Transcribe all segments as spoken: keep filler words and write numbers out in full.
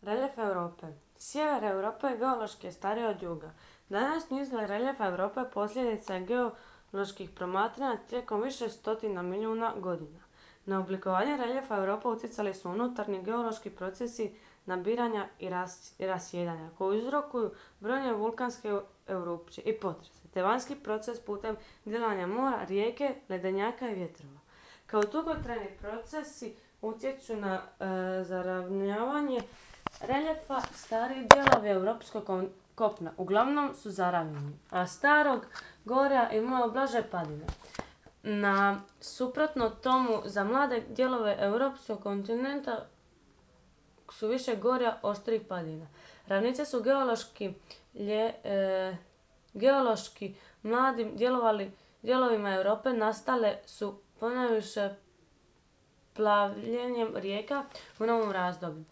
Reljef Europe. Sjever Europe geološki je stariji od juga. Današnji izgled reljefa Europe posljedica je geoloških promatranja tijekom više stotina milijuna godina. Na oblikovanje reljefa Europe utjecali su unutarnji geološki procesi nabiranja i, ras, i rasjedanja, koji uzrokuju brojne vulkanske erupcije i potrese, te vanjski proces putem djelovanja mora, rijeke, ledenjaka i vjetrova. Kao dugotrajni procesi utječu na e, zaravnjavanje reljefa, stariji dijelovi europskog kopna uglavnom su zaravnjeni, a starog gorja imaju blaže padine. Na suprotno tomu, za mlade dijelove europskog kontinenta su više gorja oštrih padina. Ravnice su geološki, lje, e, geološki mladim djelovali, dijelovima Europe nastale su ponajviše plavljenjem rijeka u novom razdoblju.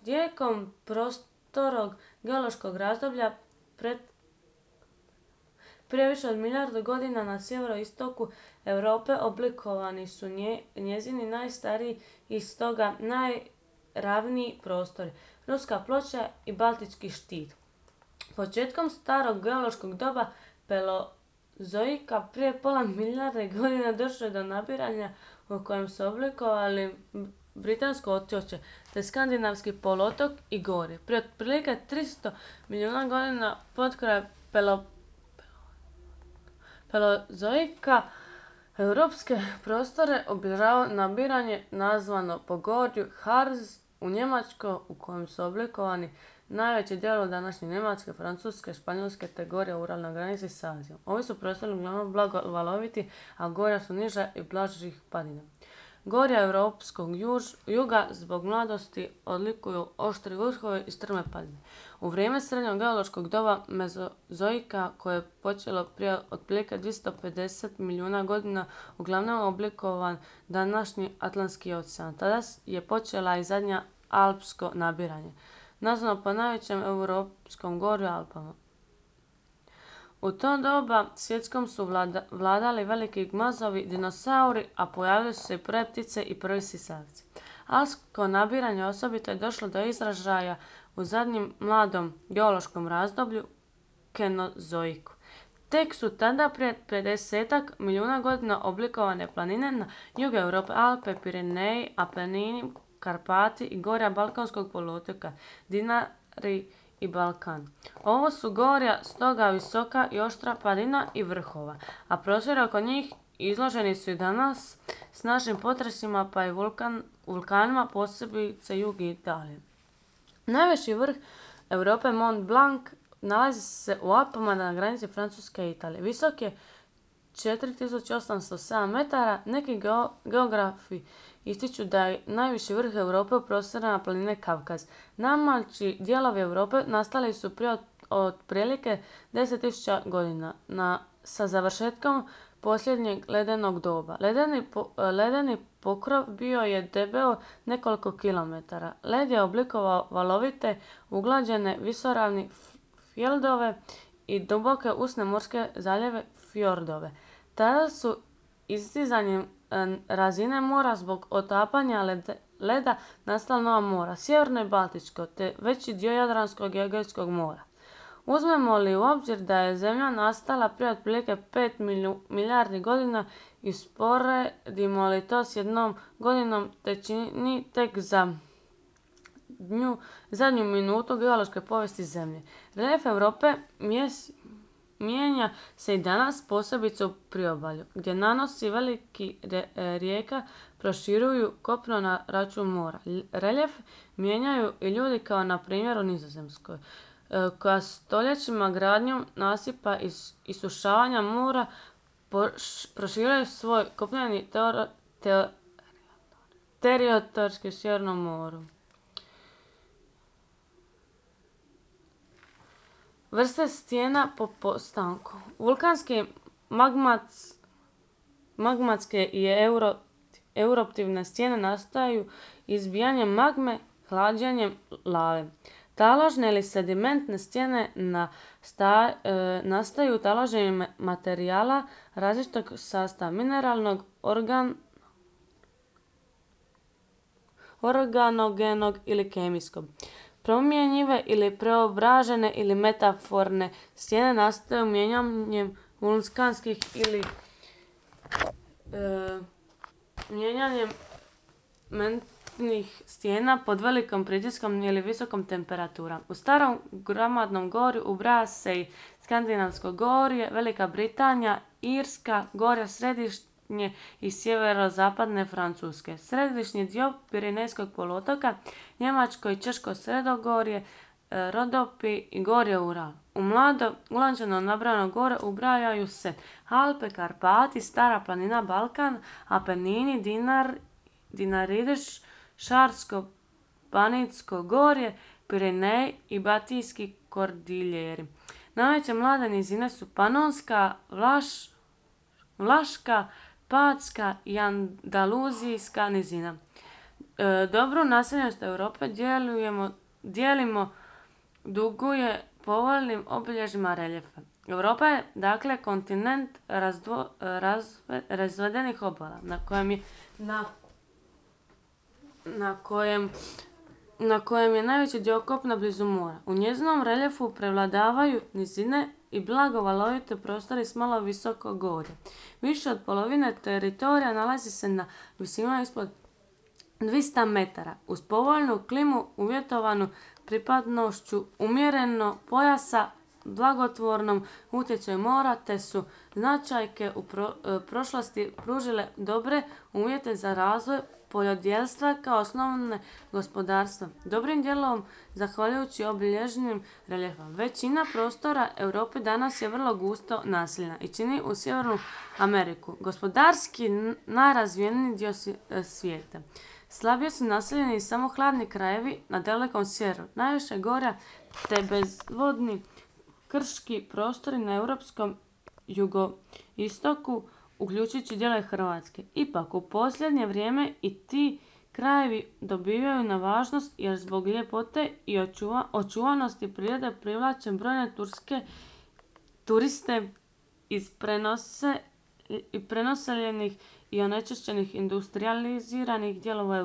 Tijekom prostorog geološkog razdoblja pred, prije više od milijardu godina na sjeveroistoku Europe oblikovani su nje, njezini najstariji i stoga najravniji prostori, Ruska ploča i Baltički štit. Početkom starog geološkog doba Paleozoika prije pola milijarde godina došlo je do nabiranja u kojem su oblikovali Britansko otočje, te Skandinavski poluotok i gorje. Prije otprilike tristo milijuna godina potkraj Paleozoika europske prostore obilježava nabiranje nazvano po gorju Harz u Njemačkoj, u kojem su oblikovani najveći dijelovi današnje Njemačke, Francuske, Španjolske te gorja u Uralnoj granici s Azijom. Ovi su prostori uglavnom blago valoviti, a gorja su niža i blažih padina. Gorja europskog juž, juga zbog mladosti odlikuju oštri vrhovi i strme padine. U vrijeme srednjeg geološkog doba Mezozoika, koje je počelo prije otprilike dvjesto pedeset milijuna godina, uglavnom oblikovan današnji Atlantski ocean. Tada je počela i zadnja alpsko nabiranje, nazvano po najvećem europskom gorju Alpama. U to doba svjetskom su vlada, vladali veliki gmazovi, dinosauri, a pojavili su se i prve ptice i prvi sisavci. Alpsko nabiranje osobito je došlo do izražaja u zadnjem mladom geološkom razdoblju, Kenozoiku. Tek su tada prije pedesetak milijuna godina oblikovane planine na jugu Europe, Alpe, Pireneji, Apenini, Karpati i gorja Balkanskog poluotoka, Dinari i Balkan. Ovo su gorja stoga visoka i oštra padina i vrhova, a prostori oko njih izloženi su i danas snažnim potresima pa i vulkan, vulkanima, posebice jug Italije. Najviši vrh Europe, Mont Blanc, nalazi se u Alpama na granici Francuske i Italije. Visok je četiri tisuće osamsto sedam metara. Neki geografi ističu da je najviši vrh Europe u prostorima planine Kavkaz. Najmlađi dijelovi Europe nastali su prije otprilike deset tisuća godina na, sa završetkom posljednjeg ledenog doba. Ledeni, po, ledeni pokrov bio je debeo nekoliko kilometara. Led je oblikovao valovite, uglađene visoravni fjeldove i duboke usne morske zaljeve fjordove. Tada su istizanjem razine mora zbog otapanja led, leda nastala nova mora, Sjeverno i Baltičko, te veći dio Jadranskog i Egejskog mora. Uzmemo li u obzir da je Zemlja nastala prije otprilike pet milijardi godina i sporedimo li to s jednom godinom, te čini tek za dnju, zadnju minutu geološke povijesti Zemlje. Reljef Europe mjes, mijenja se i danas, posebice u priobalju, gdje nanosi veliki rijeka proširuju kopno na račun mora. Reljef mijenjaju i ljudi, kao na primjer u Nizozemskoj, koja stoljećima gradnjom nasipa i isušavanja mora proširuje svoj kopneni teritorij u Sjevernom moru. Vrste stijena po postanku. Vulkanske, magmac, magmatske i euro, eruptivne stijene nastaju izbijanjem magme, hlađenjem lave. Taložne ili sedimentne stijene na sta, e, nastaju taloženjem materijala različitog sastava, mineralnog, organ, organogenog ili kemijskog. promjenjive ili preobražene ili metaforne stijene nastaju mijenjanjem vulkanskih ili e, mijenjanjem mentnih stijena pod velikom pritiskom ili visokom temperaturom. U starom gramadnom gorju ubraja se i Skandinavsko gorje, Velika Britanija, Irska, gorja središnje i sjeverozapadne Francuske, središnji dio Pirinejskog poluotoka, Njemačko i Češko sredogorje, Rodopi i gorje Ural. U mlado ulančano nabrano gore ubrajaju se Alpe, Karpati, Stara planina Balkan, Apenini, Dinar, Dinaridiš, Šarsko, Banitsko gorje, Pirinej i Batijski kordiljeri. Najveće mlade nizine su Panonska, Vlaš, Vlaška, Patska i Andaluzijska nizina. E, dobru naseljenost Europe dijelujemo, dijelimo duguje povoljnim obilježjima reljefa. Europa je dakle kontinent razdvo, razve, razvedenih obala na kojem je na, na kojem na kojem je najveći dio kopna blizu mora. U njezinom reljefu prevladavaju nizine i blago valovite prostori s malo visoko gorje. Više od polovine teritorija nalazi se na visinama ispod dvjesto metara. Uz povoljnu klimu uvjetovanu pripadnošću umjereno pojasa, blagotvornom utjecaju mora, te su značajke u pro, e, prošlosti pružile dobre uvjete za razvoj poljodjelstva kao osnovne gospodarstva. Dobrim dijelom zahvaljujući obilježenim reljefom. Većina prostora Europe danas je vrlo gusto naseljena i čini u Sjevernu Ameriku gospodarski najrazvijeniji dio svijeta. Slabije su naseljeni samo hladni krajevi na dalekom sjeveru, najviše gorja te bezvodni krški prostori na europskom jugoistoku, uključujući dijelove Hrvatske. Ipak, u posljednje vrijeme i ti krajevi dobivaju na važnost jer zbog ljepote i očuva, očuvanosti prirode privlače brojne turske turiste iz prenose, i prenoseljenih i onečišćenih industrijaliziranih dijelova Europe.